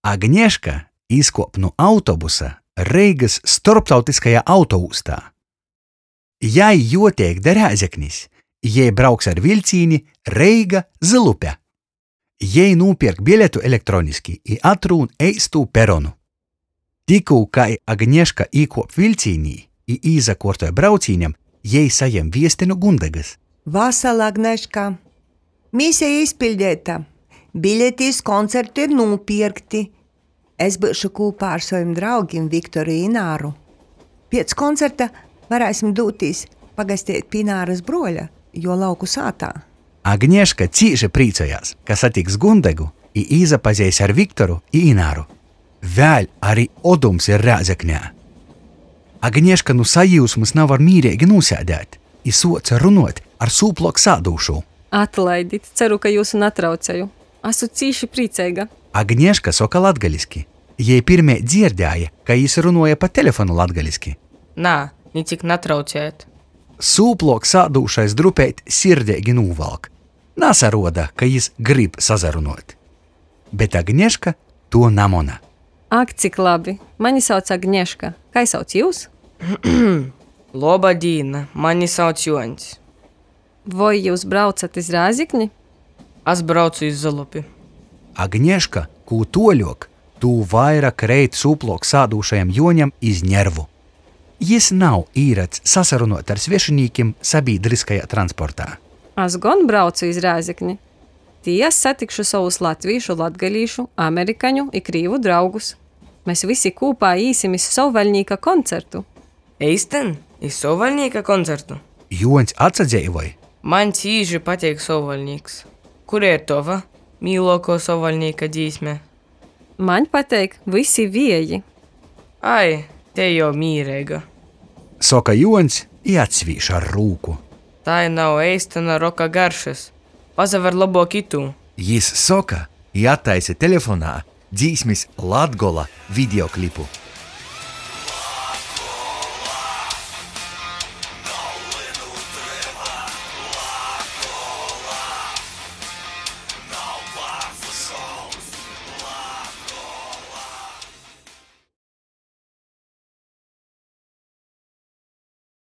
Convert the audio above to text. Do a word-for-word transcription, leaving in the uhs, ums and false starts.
Agneška izkuop nu autobusa Reigys storptautyskajā autoūstā. Jai juoteik da Rēzeknis, i jei brauks ar viļcīni Reiga – Zylupe. Jei nūpierk biletu elektroniski i atrūn eistū peronu. Tikū kai Agneška īkuop viļcīnī i īsakuortoj braucīņam, jei sajem viesti nu Gundegys. Vasala, Agneška! Miseja izpiļdeita! Biļeti iz koncertu ir nūpierkti. Es byušu kūpā ar sovim draugim Viktoru i Ināru. Piec koncerta varēsim dūtīs pagasteit pi Inārys bruoļa juo lauku sātā. Agneška cīši prīcojās, ka satiks Gundegu i īsapazeis ar Viktoru i Ināru. Vēļ ari Odums ir Rēzeknē. Agneška nu sajiusmys navar mīreigi nūsēdēt i suoc runuot ar sūpluok sādūšū. Atlaidit, ceru, ka jiusu natrauceju. Asu cīši prīceiga. Agneška soka latgaliski. Jei pirmeit dzierdēja, ka jis runuoja pa telefonu latgaliski. Nā, nicik natraucejat. Sūpluok sādūšais drupeit sirdeigi nūvalk. Nasaruoda, ka jis gryb sasarunuot. Bet Agneška tuo namona. Ak, cik labi! Mani sauc Agneška. Kai sauc jius? Loba dīna, mani sauc Juoņs. Voi jius braucat iz Rēzekni? As braucu iz Zylupi. Agneška, kū tuoļuok, tū vaira kreit sūpluok sādūšajam Juoņam iz nervu. Jis nav īrads sasarunuot ar svešinīkim sabīdryskajā transportā. As gon braucu iz Rēzekni. Tī as satikšu sovus latvīšu, latgalīšu, amerikaņu i krīvu draugus. Mes vysi kūpā īsim iz Sovvaļnīka koncertu. Eistyn? Iz Sovvaļnīka koncertu? Juoņs atsadzeivoj. Maņ cīši pateik Sovvaļnīks. Kura ir tova mīluokuo Sovvaļnīka dzīsme? Maņ pateik Vysi vieji. Ai, tei jau mīreiga. Soka Juoņs i atsvīž ar rūku. Tai nav eistyna roka garšys. Pasaver lobuok itū! Jis soka i attaisa telefonā dzīsmis Latgola videoklipu.